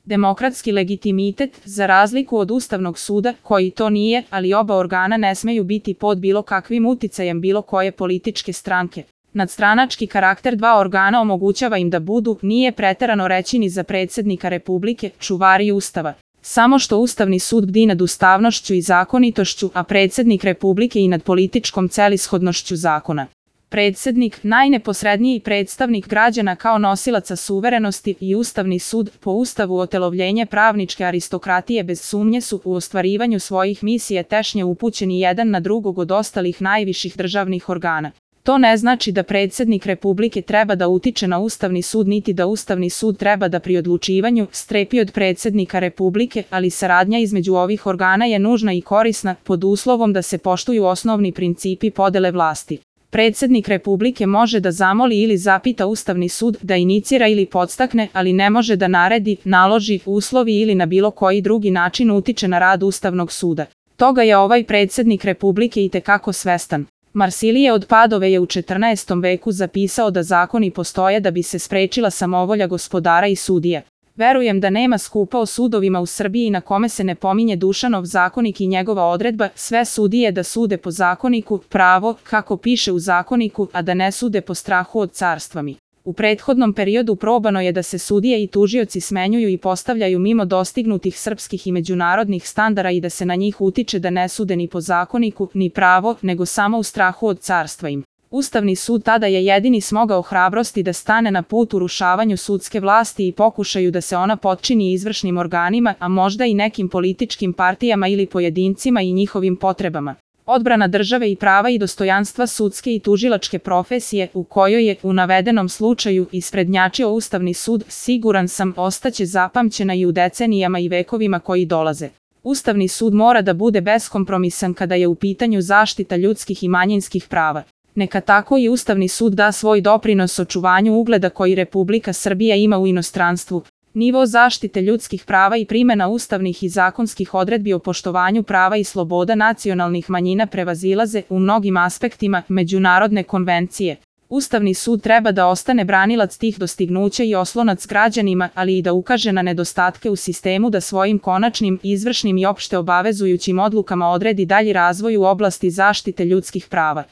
Demokratski legitimitet, za razliku od Ustavnog suda, koji to nije, ali oba organa ne smeju biti pod bilo kakvim uticajem bilo koje političke stranke. Nadstranački karakter dva organa omogućava im da budu, nije preterano reći ni za predsjednika Republike, čuvari Ustava. Samo što Ustavni sud bdi nad ustavnošću i zakonitošću, a predsjednik Republike i nad političkom celishodnošću zakona. Predsjednik, najneposredniji predstavnik građana kao nosilaca suverenosti, i Ustavni sud, po Ustavu otelovljenje pravničke aristokratije, bez sumnje su u ostvarivanju svojih misija tešnje upućeni jedan na drugog od ostalih najviših državnih organa. To ne znači da predsjednik Republike treba da utiče na Ustavni sud niti da Ustavni sud treba da pri odlučivanju strepi od predsjednika Republike, ali saradnja između ovih organa je nužna i korisna, pod uslovom da se poštuju osnovni principi podele vlasti. Predsjednik Republike može da zamoli ili zapita Ustavni sud da inicira ili podstakne, ali ne može da naredi, naloži, uslovi ili na bilo koji drugi način utiče na rad Ustavnog suda. Toga je ovaj predsjednik Republike itekako svestan. Marsilije od Padove je u 14. veku zapisao da zakoni postoje da bi se sprečila samovolja gospodara i sudija. Verujem da nema skupa o sudovima u Srbiji na kome se ne pominje Dušanov zakonik i njegova odredba, sve sudije da sude po zakoniku, pravo, kako piše u zakoniku, a da ne sude po strahu od carstvami. U prethodnom periodu probano je da se sudije i tužioci smenjuju i postavljaju mimo dostignutih srpskih i međunarodnih standarda i da se na njih utiče da ne sude ni po zakoniku, ni pravo, nego samo u strahu od carstva im. Ustavni sud tada je jedini smogao hrabrosti da stane na put urušavanju sudske vlasti i pokušaju da se ona potčini izvršnim organima, a možda i nekim političkim partijama ili pojedincima i njihovim potrebama. Odbrana države i prava i dostojanstva sudske i tužilačke profesije, u kojoj je, u navedenom slučaju, isprednjačio Ustavni sud, siguran sam, ostaće zapamćena i u decenijama i vekovima koji dolaze. Ustavni sud mora da bude beskompromisan kada je u pitanju zaštita ljudskih i manjinskih prava. Neka tako i Ustavni sud da svoj doprinos očuvanju ugleda koji Republika Srbija ima u inostranstvu. Nivo zaštite ljudskih prava i primjena ustavnih i zakonskih odredbi o poštovanju prava i sloboda nacionalnih manjina prevazilaze u mnogim aspektima međunarodne konvencije. Ustavni sud treba da ostane branilac tih dostignuća i oslonac građanima, ali i da ukaže na nedostatke u sistemu da svojim konačnim, izvršnim i opšte obavezujućim odlukama odredi dalji razvoj u oblasti zaštite ljudskih prava.